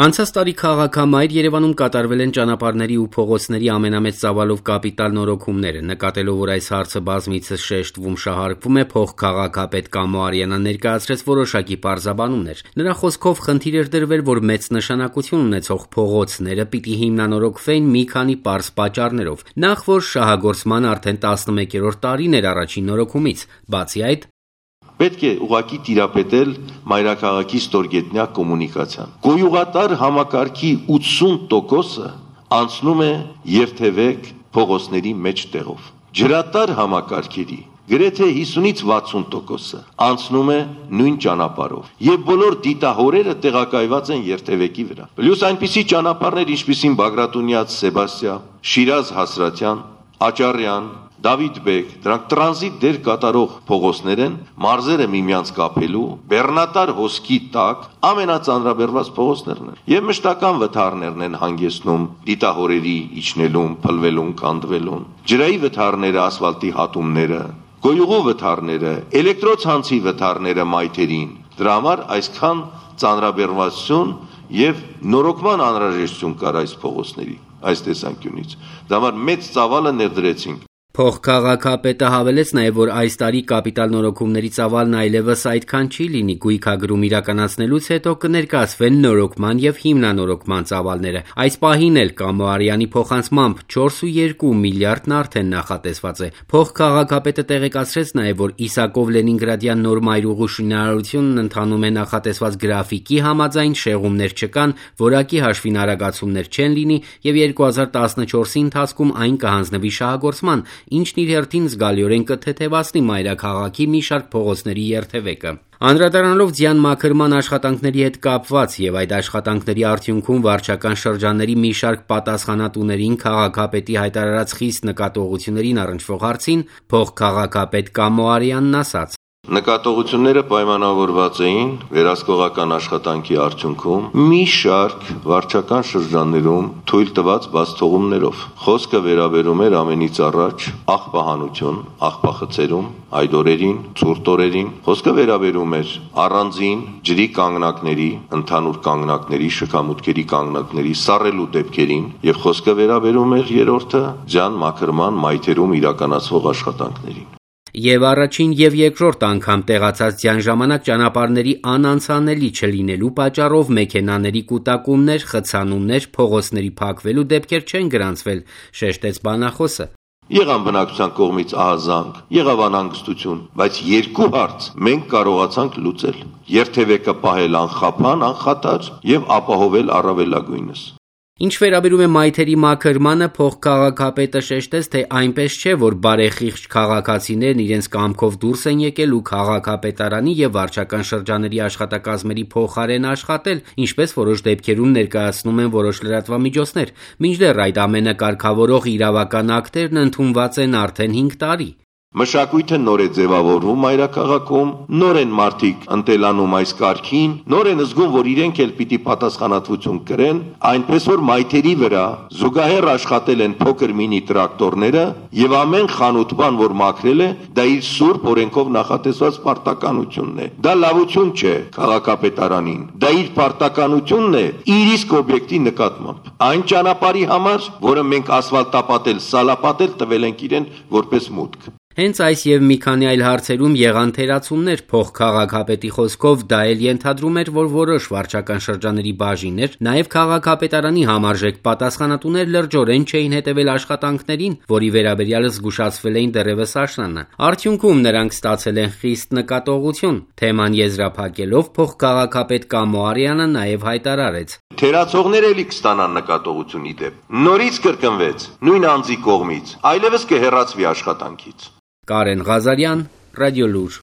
Անցած տարի քաղաքամայր Երևանում կատարվել են ճանապարհների ու փողոցների ամենամեծ ծավալով կապիտալ նորոգումները, նկատելով, որ այս հարցը բազմիցս շեշտվում շահարկվում է, փոխքաղաքապետ Կամո Արիանան ներկայացրեց որոշակի պարզաբանումներ։ Նրա խոսքով խնդիր էր դրվել, որ մեծ նշանակություն ունեցող փողոցները պիտի հիմնանորոգվեին մի քանի պարզ պատճառներով։ Նախ, որ շահագործման արդեն 11-րդ տարին էր առաջին նորոգումից, բացի այդ պետք է ուղղակի տիրապետել մայրաքաղաքի ստորգետնյա կոմունիկացիան։ Գոյուղատար համակարգի 80%-ը անցնում է երթևեք փողոցների մեջ տեղով։ Ջրատար համակարգերի գրեթե 50-ից 60%-ը անցնում է նույն ճանապարհով։ Եվ բոլոր դիտահորերը տեղակայված են երթևեկի վրա։ Պլյուս այնպիսի ճանապարհներ, ինչպիսին Բագրատունյաց Սեբաստիա, Շիրազ Հասրատյան, Աճարյան, Դավիթ Բեկ, դրանք տրանզիտ դեր կատարող փողոցներ են, մարզերը միմյանց կապելու, բեռնատար հոսքի տակ ամենածանրաբեռված փողոցներն են։ Եվ մշտական վթարներն են հանգեցնում դիտահորերի իջնելուն, փլվելուն, կանդվելուն։ Ջրայի վթարները, ասֆալտի հատումները, գոյուղու վթարները, էլեկտրոցանցի վթարները մայթերին։ Դրա համար այսքան ծանրաբեռվածություն եւ նորոգման անհրաժեշտություն կար այս փողոցների այս տեսանկյունից։ Դա համար մեծ ծավալը ներդրեցինք։ Փոխքաղաքապետը հավելեց նաև, որ այս տարի կապիտալ նորոգումների ծավալն այլևս այդքան չի լինի, գույքագրում իրականացնելուց հետո կներկայացվեն նորոգման եւ հիմնանորոգման ծավալները։ Այս պահին էլ Կամո Արիանի փոխանցմամբ 4.2 միլիարդն արդեն նախատեսված է։ Փոխքաղաքապետը տեղեկացրեց նաև, որ Իսակով Լենինգրադյան նոր մայրուղու շինարարությունն ընթանում է նախատեսված գրաֆիկի համաձայն, շեղումներ չկան, որակի հաշվին արագացումներ չեն լինի եւ 2014-ի ընթացքում այն կհանձնվի շահագործման, ինչն իր հերթին զգալիորեն կթեթևացնի մայրաքաղաքի մի շարք փողոցների երթևեկը։ Անդրադառնալով ձյան մաքրման աշխատանքների հետ կապված եւ այդ աշխատանքների արդյունքում վարչական շրջանների մի շարք պատասխանատուներին քաղաքապետի հայտարարած խիստ նկատողություններին առնչվող հարցին, փոխքաղաքապետ Կամո Արիանն ասաց. Նկատողությունները պայմանավորված էին վերահսկողական աշխատանքի արդյունքում մի շարք վարչական շրջաններում թույլ տված բացթողումներով։ Խոսքը վերաբերում էր ամենից առաջ աղբահանություն, աղբախցերում, այդ օրերին, ցուրտ օրերին։ Խոսքը վերաբերում էր առանձին ջրի կանգնակների, ընդհանուր կանգնակների, շքամուտքերի կանգնակների սառելու դեպքերին, եւ խոսքը վերաբերում էր երրորդը ձյան մաքրման մայթերում իրականացվող աշխատանքներին։ Եվ առաջին եւ երկրորդ անգամ տեղացած ձյան ժամանակ ճանապարհների անանցանելի չլինելու պատճառով մեքենաների կուտակումներ, խցանումներ, փողոցների փակվելու դեպքեր չեն գրանցվել, շեշտեց բանախոսը։ Եղան բնակչության կողմից ահազանգ, եղավ անհանգստություն, բայց երկու հարց մենք կարողացանք լուծել։ Երթևեկը պահել անխափան, անխաթար եւ ապահովել առավելագույնս։ Ինչ վերաբերում է մայթերի մաքրմանը, փոխքաղաքապետը շեշտեց, թե այնպես չէ, որ բարեխիղճ քաղաքացիներն իրենց կամքով դուրս են եկել ու քաղաքապետարանի եւ վարչական շրջանների աշխատակազմերի փոխարեն աշխատել, ինչպես որոշ դեպքերում ներկայացնում են որոշ լրատվամիջոցներ, մինչդեռ այդ ամենը կարգավորող իրավական ակտերն ընդունված են արդեն 5 տարի։ Մշակույթը նոր է ձևավորվում մայրաքաղաքում, նոր են մարդիկ ընտելանում այս կարգին, նոր են զգում, որ իրենք էլ պիտի պատասխանատվություն կրեն, այնպես որ մայթերի վրա զուգահեռ աշխատել են փոքր մինի տրակտորները եւ ամեն խանութ բան, որ մաքրել է, դա իր սուրբ օրենքով նախատեսված պարտականությունն է։ Դա լավություն չէ քաղաքապետարանին, դա իր պարտականությունն է իր իսկ օբյեկտի նկատմամբ։ Այն ճանապարհի համար, որը մենք ասֆալտապատել, սալապատել տվել ենք իրեն որպես մուտք։ Հենց այս եւ մի քանի այլ հարցերում եղան թերացումներ, փոխքաղաքապետի խոսքով դա էլ ենթադրում էր, որ որոշ վարչական շրջանների բաժիններ, նաեւ քաղաքապետարանի համարժեք պատասխանատուներ լրջորեն չէին հետևել աշխատանքներին, որի վերաբերյալ զգուշացվել էին դեռևս աշնանը։ Արդյունքում նրանք ստացել են խիստ նկատողություն։ Թեման եզրափակելով փոխքաղաքապետ Կամո Արիանը նաեւ հայտարարեց. Թերացողները էլի կստանան նկատողություն իդեպ։ Նորից կրկնվեց նույն անձի կողմից, այլևս կհեռացվի աշխատանքից։ Կարեն Ղազարյան, Ռադիոլուր։